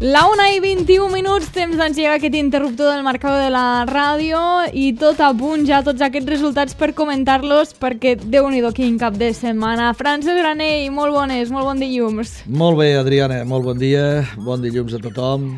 La 1:21, temps d'engegar aquest interruptor del marcador de la ràdio i tot a punt ja tots aquests resultats per comentar-los perquè Déu-n'hi-do quin cap de setmana. Francesc Granell, molt bon dilluns. Molt bé, Adriana, molt bon dia, bon dilluns a tothom.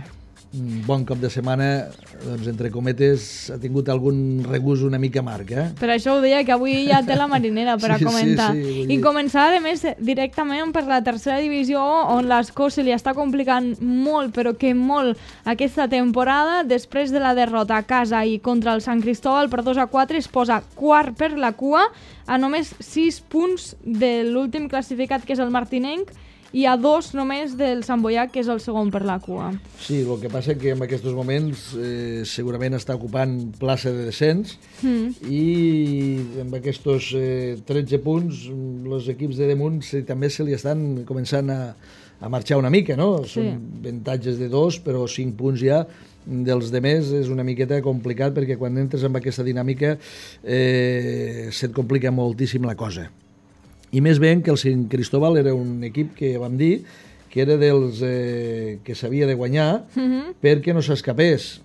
Bon cap de setmana, doncs entre cometes ha tingut algun regust una mica amarg, Per això ho deia, que avui ja té la marinera per a comentar. Sí, I començar, a més, directament per la tercera divisió, on l'Escó se li està complicant molt, però que molt, aquesta temporada. Després de la derrota a casa i contra el Sant Cristóbal per 2-4, es posa quart per la cua, a només 6 punts de l'últim classificat, que és el martinenc, i a 2 només del Sant Boià, que és el segon per la cua. Sí, el que passa que en aquests moments segurament està ocupant plaça de descens i amb aquests 13 punts els equips de damunt també se li estan començant a marxar una mica, no? Sí. Són avantatges de 2, però 5 punts ja dels demés és una miqueta complicat perquè quan entres en aquesta dinàmica se't complica moltíssim la cosa. I més ben que el Sant Cristóbal era un equip que vam dir que era dels que s'havia de guanyar perquè no s'escapés,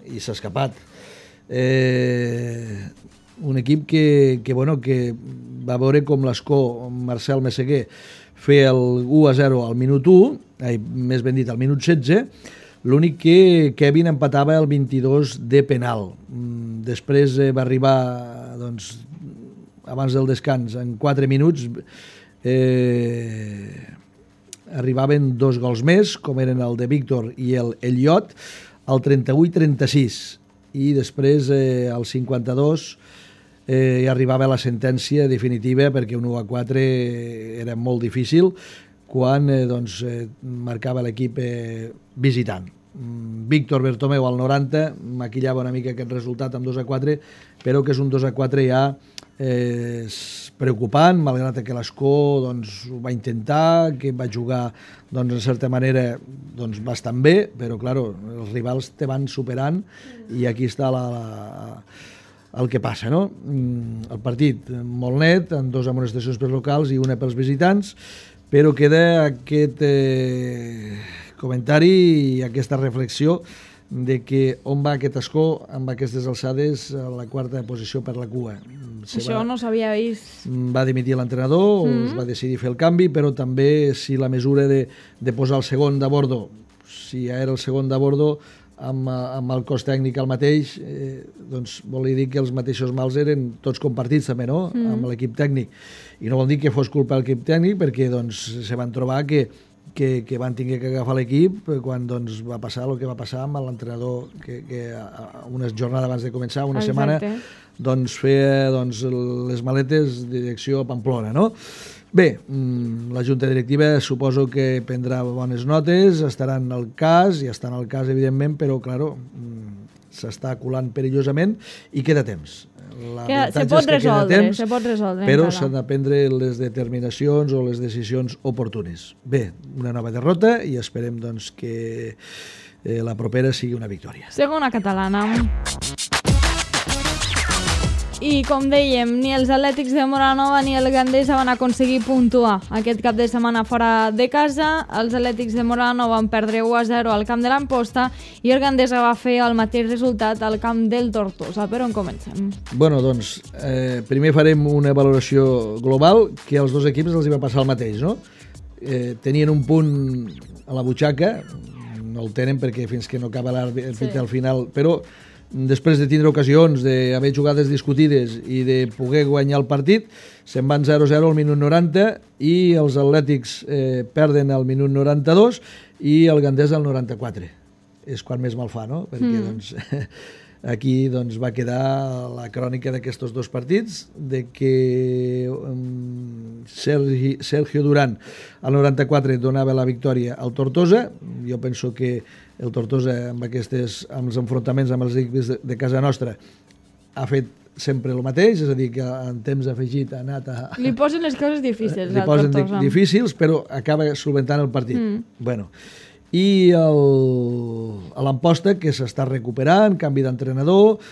i s'ha escapat. Un equip que va veure com l'Escó, Marcel Messeguer, fer el 1-0 al minut 1, més ben dit al minut 16, l'únic que Kevin empatava el 22 de penal. Després va arribar, doncs, abans del descans, en 4 minuts arribaven 2 gols més, com eren el de Víctor i el Elliot, al 38-36, i després al 52 hi arribava la sentència definitiva perquè un 1-4 era molt difícil quan marcava l'equip visitant. Víctor Bertomeu al 90 maquillava una mica aquest resultat amb 2-4, però que és un 2-4 ja preocupant, malgrat que l'Escó ho va intentar, que va jugar en certa manera bastant bé, però claro, els rivals te van superant i aquí està el que passa, no? El partit molt net, amb 2 amonestacions pels locals i una pels visitants, però queda aquest comentari i aquesta reflexió de que on va aquest Escó amb aquestes alçades a la 4a posició per la cua. Això no s'havia vist. Va dimitir l'entrenador, es va decidir fer el canvi, però també si la mesura de posar el segon de bordo, si ja era el segon de bordo, amb el cos tècnic el mateix, doncs vol dir que els mateixos mals eren tots compartits també, no?, amb l'equip tècnic. I no vol dir que fos culpa del equip tècnic, perquè se van trobar que van tenir que agafar l'equip quan va passar el que va passar amb l'entrenador que una jornada abans de començar, una setmana, feia les maletes de direcció a Pamplona, no? Bé, la Junta Directiva suposo que prendrà bones notes, estaran al cas, i estan al cas evidentment, però claro, s'està colant perillosament i queda temps. Se pot resoldre. Però s'han de prendre les determinacions o les decisions oportunes. Bé, una nova derrota i esperem que la propera sigui una victòria. Segona catalana. I, com dèiem, ni els Atlètics de Móra-la-Nova ni el Gandesa van aconseguir puntuar aquest cap de setmana fora de casa. Els Atlètics de Móra-la-Nova van perdre 1-0 al camp de l'Amposta i el Gandesa va fer el mateix resultat al camp del Tortosa. Per on comencem? Bueno, primer farem una valoració global, que als dos equips els hi va passar el mateix, no? Tenien un punt a la butxaca, no el tenen perquè fins que no acaba l'àrbit al final, però després de tindre ocasions d'haver jugades discutides i de poder guanyar el partit, se'n van 0-0 al minut 90 i els Atlètics perden al minut 92 i el Gandesa al 94. És quan més mal fa, no? Perquè aquí va quedar la crònica d'aquests dos partits, de que Sergio Durán al 94 donava la victòria al Tortosa. Jo penso que el Tortosa amb els enfrontaments amb els equips de casa nostra ha fet sempre el mateix, és a dir, que en temps afegit ha anat a... Li posen les coses difícils al Tortosa. Li posen difícils, però acaba solventant el partit. Bueno, i a l'Amposta, que s'està recuperant, canvi d'entrenador,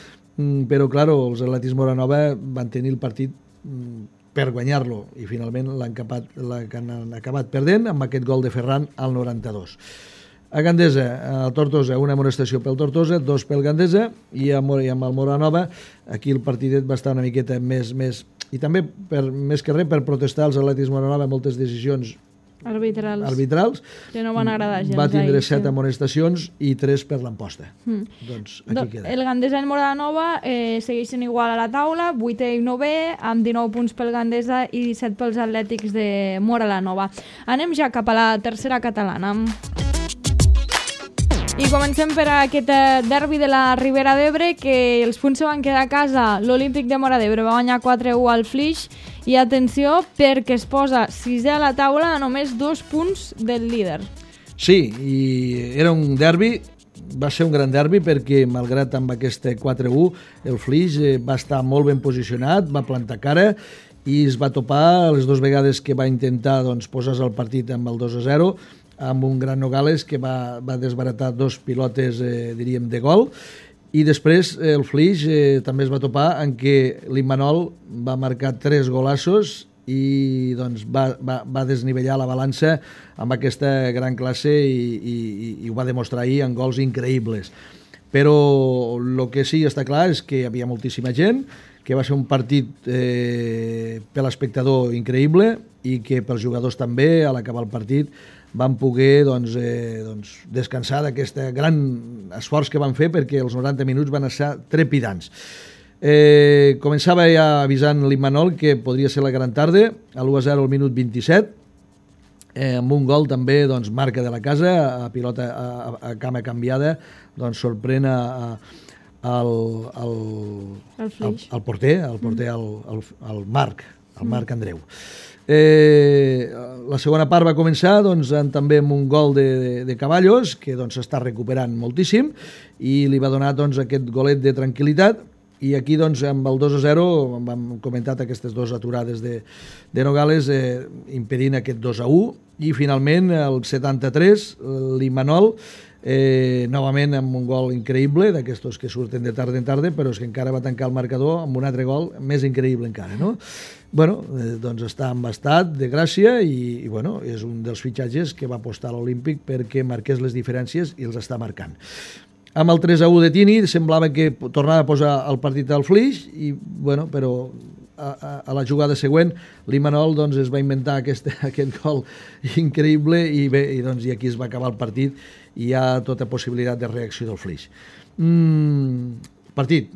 però, clar, els Atlètics Móra-la-Nova van tenir el partit per guanyar-lo i finalment l'han acabat perdent amb aquest gol de Ferran al 92. A Gandesa, a Tortosa, una amonestació pel Tortosa, 2 pel Gandesa, i amb el Moranova, aquí el partidet va estar una miqueta més i també, més que res, per protestar als Atlètics Moranova moltes decisions arbitrals, que no van agradar gens. Va tindre 7 amonestacions i 3 per l'emposta. Doncs aquí queda. El Gandesa i el Moranova segueixen igual a la taula, 8è i 9è, amb 19 punts pel Gandesa i 17 pels Atlètics de Moranova. Anem ja cap a la tercera catalana. I comencem per aquest derbi de la Ribera d'Ebre, que els punts se van quedar a casa. L'Olímpic de Móra d'Ebre va guanyar 4-1 al Flix, i atenció, perquè es posa 6è a la taula a només 2 punts del líder. Sí, i era un derbi, va ser un gran derbi, perquè malgrat amb aquest 4-1 el Flix va estar molt ben posicionat, va plantar cara i es va topar les 2 vegades que va intentar posar-se el partit amb el 2-0, amb un gran Nogales que va desbaratar 2 pilotes, diríem, de gol, i després el Flix també es va topar en què l'Immanol va marcar 3 golassos i va desnivellar la balança amb aquesta gran classe i ho va demostrar ahir en gols increïbles. Però el que sí està clar és que hi havia moltíssima gent, que va ser un partit per l'espectador increïble i que pels jugadors també, a l'acabar el partit, van poder descansar d'aquest gran esforç que van fer, perquè els 90 minuts van ser trepidants. Començava ja avisant l'Immanol que podria ser la gran tarda, a l'1-0 al minut 27, amb un gol també marca de la casa, a pilota a cama canviada, sorprèn al porter, al Marc Andreu. La segona part va començar també amb un gol de Caballos, que s'està recuperant moltíssim, i li va donar aquest golet de tranquil·litat. I aquí amb el 2-0 hem comentat aquestes 2 aturades de Nogales impedint aquest 2-1, i finalment el 73 l'Immanol novament amb un gol increïble, d'aquestos que surten de tarda en tarda, però és que encara va tancar el marcador amb un altre gol més increïble encara, no? Bueno, està en estat de gràcia i és un dels fitxatges que va apostar l'Olímpic perquè marqués les diferències i els està marcant. Amb el 3-1 de Tini semblava que tornava a posar el partit al Flix, però a la jugada següent l'Immanol es va inventar aquest gol increïble i aquí es va acabar el partit i hi ha tota possibilitat de reacció del Flix. Partit,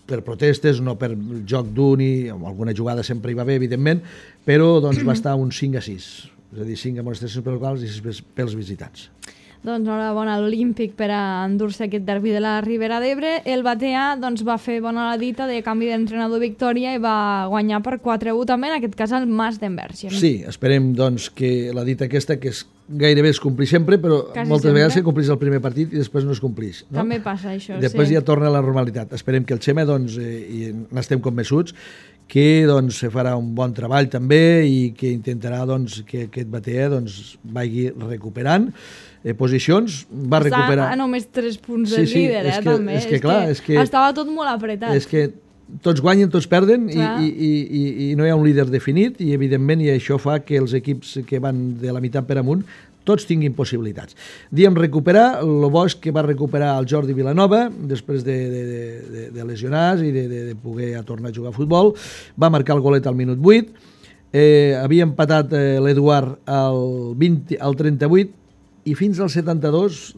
per protestes, no per joc d'un, i alguna jugada sempre hi va haver, evidentment, però va estar un 5-6, és a dir, 5 amonestacions per locals i 6 pels visitants. Enhorabona a l'Olímpic per a endur-se aquest derbi de la Ribera d'Ebre. El Batea va fer bona la dita de canvi d'entrenador Victòria i va guanyar per 4-1 també, en aquest cas el Mas d'Enverge. Sí, esperem que la dita aquesta, que gairebé es complix sempre, però moltes vegades se complix el primer partit i després no es complix. També passa això, sí. Després ja torna a la normalitat. Esperem que el Xema, i n'estem convençuts, que se farà un bon treball també i que intentarà que aquest Batea vagi recuperant posicions, va recuperar... Està a només 3 punts del líder, també. És que clar, estava tot molt apretat. És que tots guanyen, tots perden i no hi ha un líder definit i evidentment això fa que els equips que van de la meitat per amunt tots tinguin possibilitats. Diem recuperar, el bo és que va recuperar el Jordi Vilanova després de lesionar-se i de poder tornar a jugar a futbol, va marcar el golet al minut 8, havia empatat l'Eduard al 38 i fins al 72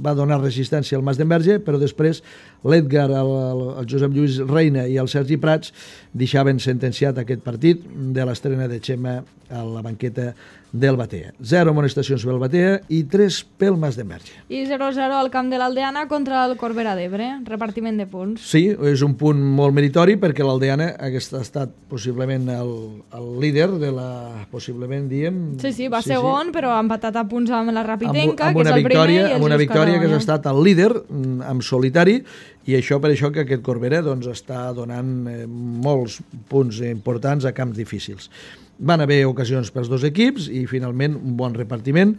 va donar resistència al Mas d'Enverge, però després l'Edgar, el Josep Lluís Reina i el Sergi Prats deixaven sentenciat aquest partit de l'estrena de Xema a la banqueta del Batea. 0 amonestacions pel Batea i 3 pel Mas d'Enverge. I 0-0 al camp de l'Aldeana contra el Corbera d'Ebre, repartiment de punts. Sí, és un punt molt meritori perquè l'Aldeana hagués estat possiblement el líder de la... possiblement, diem... Sí, va segon, però ha empatat a punts amb la Rapitenca, que és el primer, i el amb una victòria que ha estat el líder en solitari, i això per això que aquest Corbera està donant molts punts importants a camps difícils. Van haver ocasions pels 2 equips i finalment un bon repartiment.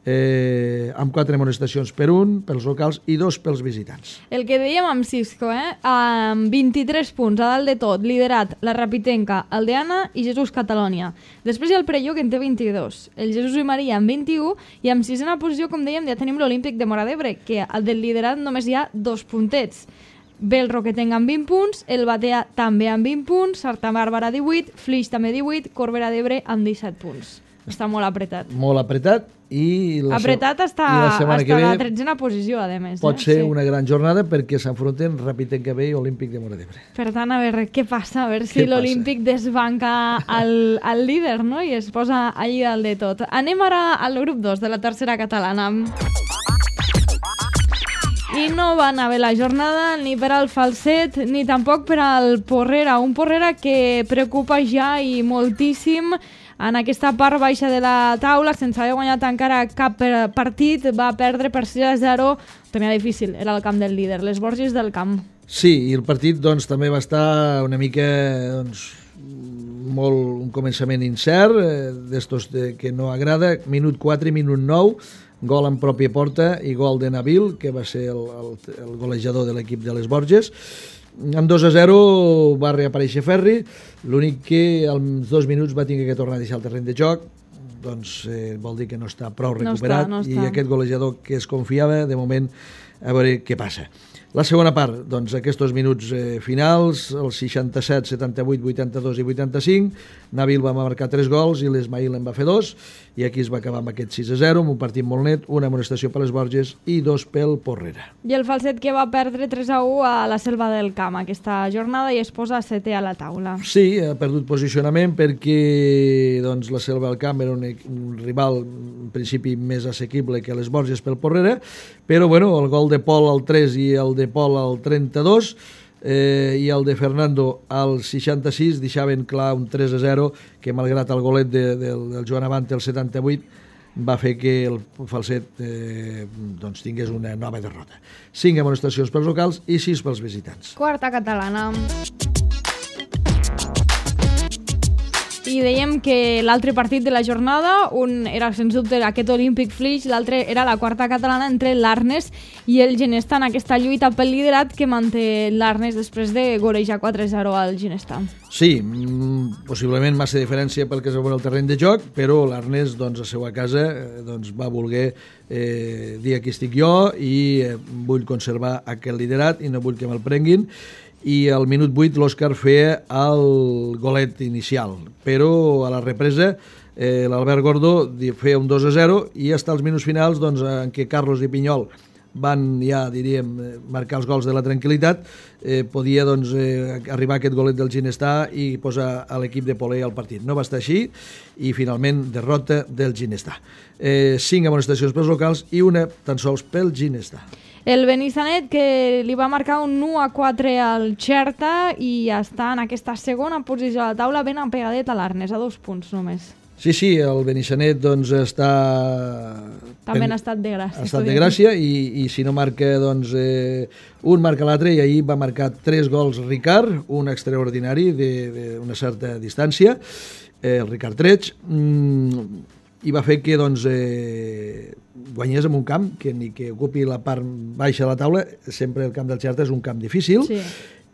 amb 4 amonestacions per un, pels locals, i 2 pels visitants. El que dèiem amb Cisco, amb 23 punts a dalt de tot, liderat la Rapitenca, el Deana i Jesús Catalònia. Després hi ha el Perelló, que en té 22, el Jesús i Maria amb 21, i en sisena posició, com dèiem, ja tenim l'Olímpic de Móra d'Ebre, que del liderat només hi ha 2 puntets. Ve el Roquetenc amb 20 punts, el Batea també amb 20 punts, Santa Bàrbara 18, Flix també 18, Corbera d'Ebre amb 17 punts. Està molt apretat. Molt apretat. Apretat està la 13a posició, a més. Pot ser una gran jornada perquè s'enfronten Rapitenca B i Olímpic de Móra d'Ebre. Per tant, a veure què passa, a veure si l'Olímpic desbanca el líder, no? I es posa allí dalt de tot. Anem ara al grup 2 de la tercera catalana. I no va anar bé la jornada ni per al Falset ni tampoc per al Porrera. Un Porrera que preocupa ja i moltíssim en aquesta part baixa de la taula, sense haver guanyat encara cap partit, va perdre per 6-0. Tenia difícil, era el camp del líder, les Borges del camp. Sí, i el partit doncs, també va estar una mica un començament incert, d'estos que no agrada, minut 4 i minut 9, gol en pròpia porta i gol de Nabil, que va ser el golejador de l'equip de les Borges. Amb 2-0 va reaparèixer Ferri, l'únic que als 2 minuts va tenir que tornar a deixar el terreny de joc, doncs vol dir que no està prou recuperat, no està. I aquest golejador que es confiava, de moment, a veure què passa. La segona part, doncs, aquests minuts finals, els 67, 78, 82 i 85, Nabil va marcar 3 gols i l'Esmail en va fer 2, i aquí es va acabar amb aquest 6-0, amb un partit molt net, una amonestació per les Borges i 2 pel Porrera. I el Falset, que va perdre 3-1 a la Selva del Camp aquesta jornada i es posa 7è a la taula. Sí, ha perdut posicionament perquè doncs, la Selva del Camp era un rival en principi més assequible que les Borges pel Porrera, però bueno, el gol de Pol al 3 i el de Pol al 32 i el de Fernando al 66 deixaven clar un 3-0 que malgrat el golet del Joan Abante al 78 va fer que el Falset doncs, tingués una nova derrota. 5 amonestacions pels locals i 6 pels visitants. Quarta catalana. I dèiem que l'altre partit de la jornada, un era sens dubte aquest Olímpic Flix, l'altre era la quarta catalana entre l'Arnes i el Ginestar en aquesta lluita pel liderat que manté l'Arnes després de golejar 4-0 al Ginestar. Sí, possiblement massa diferència pel que es veu en el terreny de joc, però l'Arnes doncs, a seva casa doncs, va voler dir aquí estic jo i vull conservar aquest liderat i no vull que me'l prenguin. I al minut 8 l'Òscar feia el golet inicial, però a la represa l'Albert Gordó feia un 2-0 i fins als minuts finals doncs, en què Carlos i Pinyol van ja, diríem, marcar els gols de la tranquil·litat, podia doncs, arribar aquest golet del Ginestar i posar a l'equip de Polé al partit. No va estar així i finalment derrota del Ginestar. 5 amonestacions pels locals i una tan sols pel Ginestar. El Benissanet, que li va marcar un 1-4 al Xerta i està en aquesta segona posició a la taula ben apegadet a l'Arnes, a 2 punts només. Sí, el Benissanet doncs, està... També n'ha estat de gràcia. Ha estat de gràcia i si no marca, doncs, un marca l'altre i ahir va marcar 3 gols Ricard, un extraordinari d'una certa distància, el Ricard Treig, i va fer que doncs, guanyés en un camp que ni que ocupi la part baixa de la taula, sempre el camp del Xerta és un camp difícil, sí.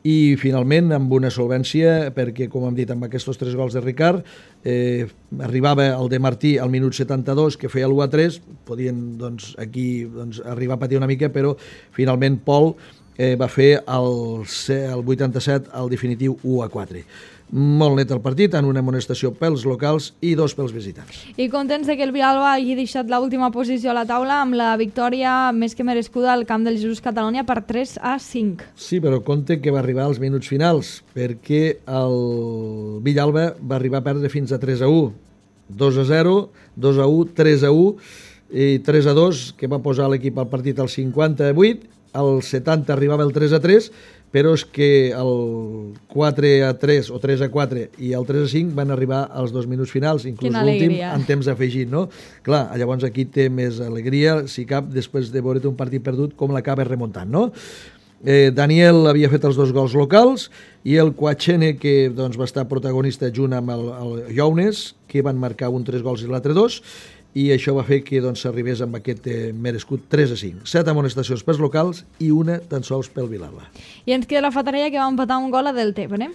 I finalment amb una solvència, perquè com hem dit amb aquests 3 gols de Ricard, arribava el de Martí al minut 72 que feia l'1-3, podien doncs, aquí doncs, arribar a patir una mica, però finalment Pol va fer el 87 al definitiu 1-4. Molt net el partit, en una amonestació pels locals i 2 pels visitants. I contents de que el Villalba hagi deixat l'última posició a la taula amb la victòria més que merescuda al camp del Jesús Catalònia per 3-5. Sí, però compte que va arribar als minuts finals, perquè el Villalba va arribar a perdre fins a 3-1. 2-0, 2-1, 3-1 i 3-2, que va posar l'equip al partit al 58, al 70 arribava el 3-3, però és que el 4-3 o 3-4 i el 3-5 van arribar als 2 minuts finals, inclús l'últim en temps afegit, no? Clar, llavors aquí té més alegria, si cap, després de veure't un partit perdut, com l'acaba remuntant, no? Daniel havia fet els 2 gols locals i el Quachene, que doncs, va estar protagonista junt amb el Younes, que van marcar un 3 gols i l'altre 2, i això va fer que s'arribés amb aquest merescut 3-5. 7 amonestacions pels locals i una tan sols pel Vilalba. I ens queda la Fatarella, que va empatar un gol a Deltebre.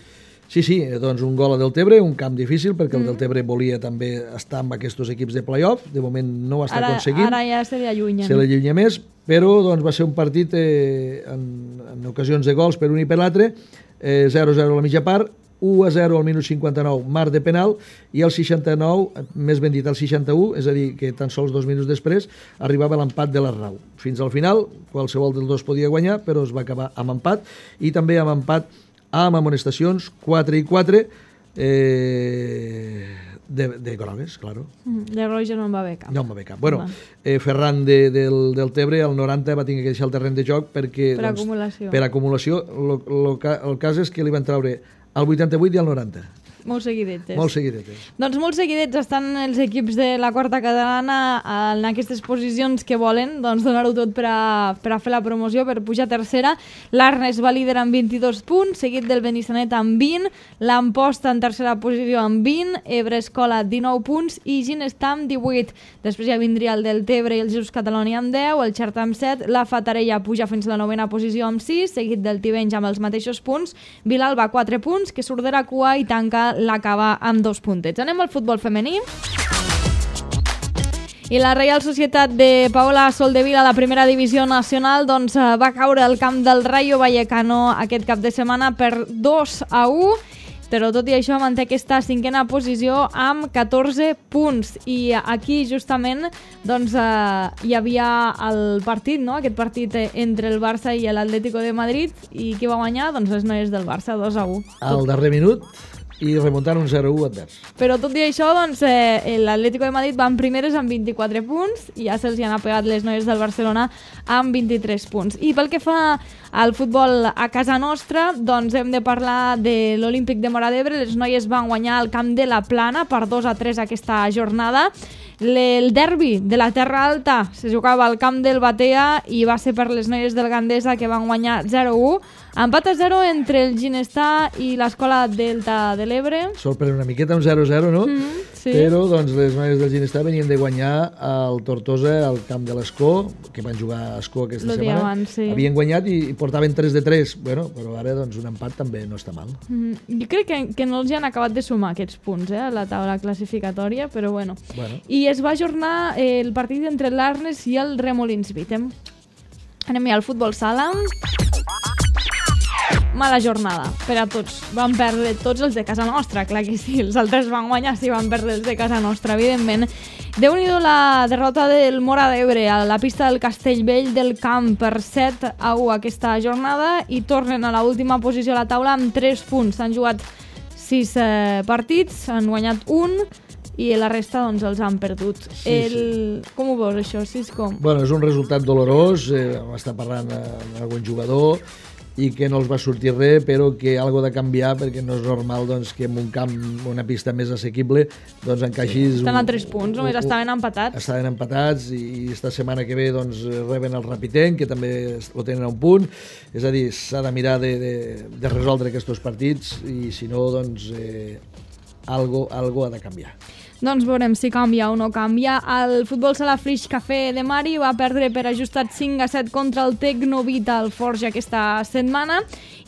Sí, doncs un gol a Deltebre, un camp difícil, perquè el Deltebre volia també estar amb aquests equips de play-off, de moment no ho està aconseguint. Ara ja se li allunya. Se li allunya més, però va ser un partit en ocasions de gols per un i per l'altre, 0-0 a la mitja part, 1-0 al minut 59, marc de penal, i al 69, més ben dit al 61, és a dir, que tan sols 2 minuts després, arribava l'empat de l'Arnau. Fins al final, qualsevol dels dos podia guanyar, però es va acabar amb empat, i també amb empat amb amonestacions, 4 i 4, de grogues, claro. De roja no en va haver cap. No en va haver cap. Bueno, Ferran del Tebre, al 90, va tenir que deixar el terreny de joc perquè... Per acumulació. Per acumulació. El cas és que li van treure al 88 i al 90. Molt seguidetes. Molt seguidetes. Doncs molt seguidets estan els equips de la quarta catalana en aquestes posicions que volen donar-ho tot per a fer la promoció, per pujar a tercera. L'Arnes va líder amb 22 punts, seguit del Benissanet amb 20, l'Amposta en tercera posició amb 20, Ebre Escola 19 punts i Ginestar amb 18. Després ja vindria el Deltebre i el Just Catalonia amb 10, el Xerta amb 7, la Fatarella puja fins a la 9a posició amb 6, seguit del Tivenys amb els mateixos punts, Vilalba 4 punts, que surt de la cua i tanca l'acaba amb 2 puntets. Anem al futbol femení. I la Reial Societat de Paola Soldevila, a la primera divisió nacional, va caure al camp del Rayo Vallecano aquest cap de setmana per 2-1, però tot i això manté aquesta 5a posició amb 14 punts. I aquí justament hi havia el partit, no? Aquest partit entre el Barça i l'Atlético de Madrid, i qui va guanyar? Doncs les noies del Barça, 2-1. Al darrer minut i remuntant un 0-1 advers. Però tot i això, l'Atlético de Madrid van primeres amb 24 punts i ja se'ls han apegat les noies del Barcelona amb 23 punts. I pel que fa al futbol a casa nostra, hem de parlar de l'Olímpic de Móra d'Ebre. Les noies van guanyar al camp de la Plana per 2-3 aquesta jornada. El derbi de la Terra Alta se jugava al camp del Batea i va ser per les noies del Gandesa, que van guanyar 0-1. Empat a 0 entre el Ginestar i l'Escola Delta de l'Ebre. Sorprèn una miqueta un 0-0, no? Sí. Però les noies del Ginestar venien de guanyar al Tortosa al camp de l'Escó, que van jugar a Escó aquesta setmana. Abans, sí. Havien guanyat i portaven 3-3. Bueno, però ara un empat també no està mal. Jo crec que no els han acabat de sumar aquests punts a la taula classificatòria, però bueno. I es va ajornar el partit entre l'Arnes i el Remolins Vítem. Anem ja al futbol sala. Mala jornada per a tots. Van perdre tots els de casa nostra, clar que sí. Els altres van guanyar, sí, van perdre els de casa nostra, evidentment. Déu-n'hi-do la derrota del Móra d'Ebre a la pista del Castellvell del Camp per 7-1 aquesta jornada i tornen a l'última posició a la taula amb 3 punts. S'han jugat 6 partits, han guanyat un i la resta els han perdut. Com ho veus, això? Bueno, és un resultat dolorós, m'està parlant amb algun jugador i que no els va sortir res, però que algo de canviar, perquè no és normal que en un camp, una pista més assequible, encaixis... Estan a 3 punts, només estaven empatats. Estaven empatats i esta setmana que ve reben el Rapitenc, que també ho tenen a un punt. És a dir, s'ha de mirar de resoldre aquests partits i si no, algo ha de canviar. Doncs veurem si canvia o no canvia. El futbol sala Flix Café de Mari va perdre per ajustat 5-7 contra el Tecnovita al Forja aquesta setmana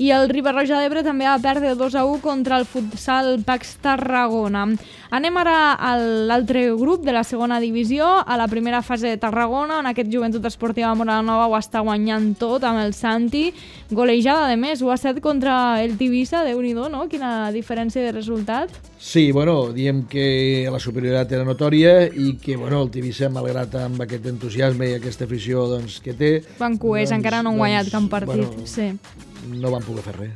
i el Riba-roja d'Ebre també va perdre 2-1 contra el futsal Pax Tarragona. Anem ara a l'altre grup de la segona divisió, a la primera fase de Tarragona, on aquest Joventut Esportiva Moranova ho està guanyant tot amb el Santi. Golejada, de més, 1-7 contra el Tivissa, Déu-n'hi-do, no? Quina diferència de resultat. Sí, diem que la superioritat era notòria i que el Tivissa, malgrat amb aquest entusiasme i aquesta afició que té... Van cuers, encara no han guanyat cap partit. Sí. No van poder fer res.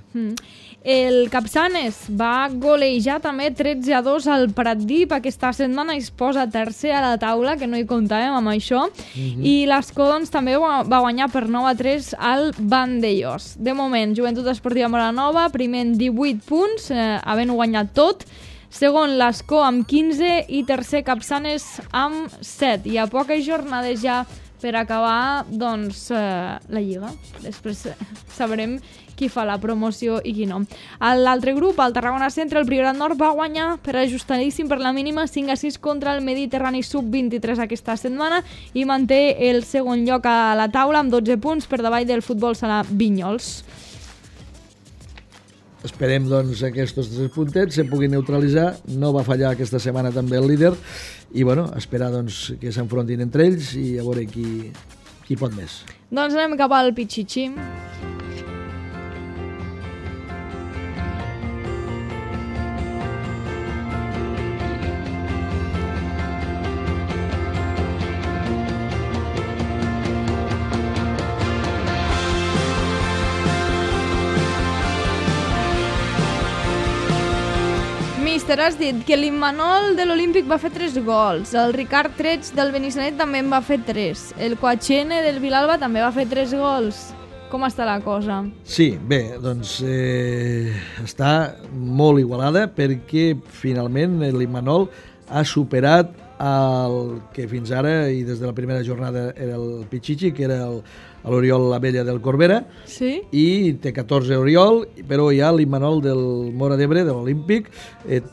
El Capçanes va golejar també 13-2 al Pratdip aquesta setmana i es posa tercer a la taula, que no hi comptàvem amb això. I l'Escó també va guanyar per 9-3 al Vandellós. De moment, Joventut Esportiva Moranova, primer amb 18 punts, havent-ho guanyat tot. Segon, l'Escó amb 15 i tercer, Capçanes amb 7. I a poques jornades ja per acabar doncs, la Lliga. Després sabrem qui fa la promoció i qui no. L'altre grup, el Tarragona Centre, el Priorat Nord, va guanyar per ajustadíssim per la mínima 5-6 contra el Mediterrani Sub-23 aquesta setmana i manté el segon lloc a la taula amb 12 punts per davall del Futbol Sala Vinyols. Esperem doncs aquests 3 puntets se puguin neutralitzar. No va fallar aquesta setmana també el líder i bueno, esperar doncs, que s'enfrontin entre ells i a veure qui pot més. Doncs anem cap al Pichichi. Míster, has dit que l'Immanol de l'Olímpic va fer 3 gols, el Ricard Treig del Benissanet també en va fer 3, el Coachene del Vilalba també va fer 3 gols. Com està la cosa? Sí, bé, doncs està molt igualada perquè finalment l'Immanol ha superat el que fins ara i des de la primera jornada era el Pichichi, que era l'Oriol Abella del Corbera, sí? I té 14 Oriol, però ja l'Immanol del Móra d'Ebre, de l'Olímpic,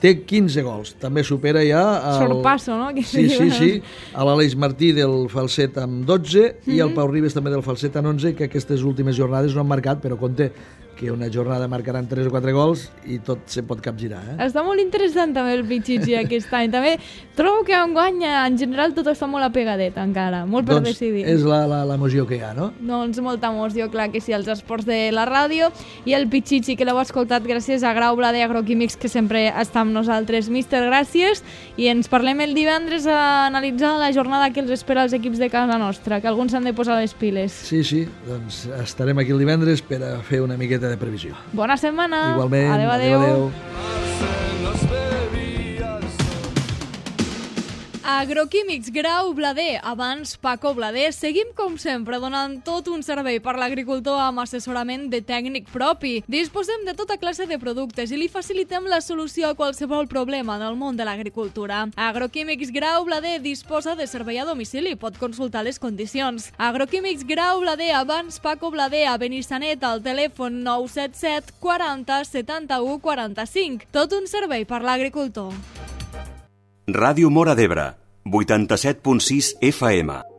té 15 gols. També supera ja... Sorpasso, no? Sí. A l'Aleix Martí del Falset amb 12 i el Pau Ribes també del Falset amb 11, que aquestes últimes jornades no han marcat, però compte que una jornada marcaran 3 o 4 gols i tot se pot capgirar. Està molt interessant també el Pichichi aquest any. També trobo que enguany en general tot està molt apegadet encara, molt per decidir. És l'emoció que hi ha, no? Doncs molta emoció, clar que sí, els esports de la ràdio i el Pichichi, que l'heu escoltat gràcies a Grau Blader Agroquímics, que sempre està amb nosaltres. Míster, gràcies, i ens parlem el divendres a analitzar la jornada que els espera els equips de casa nostra, que alguns s'han de posar les piles. Sí, doncs estarem aquí el divendres per a fer una miqueta de previsió. Bona setmana. Igualment. Adéu. Agroquímics Grau Blader, abans Paco Blader. Seguim, com sempre, donant tot un servei per l'agricultor amb assessorament de tècnic propi. Disposem de tota classe de productes i li facilitem la solució a qualsevol problema en el món de l'agricultura. Agroquímics Grau Blader disposa de servei a domicili. Pot consultar les condicions. Agroquímics Grau Blader, abans Paco Blader, a Benissanet, al telèfon 977 40 71 45. Tot un servei per l'agricultor. Ràdio Móra d'Ebre, 87.6 FM.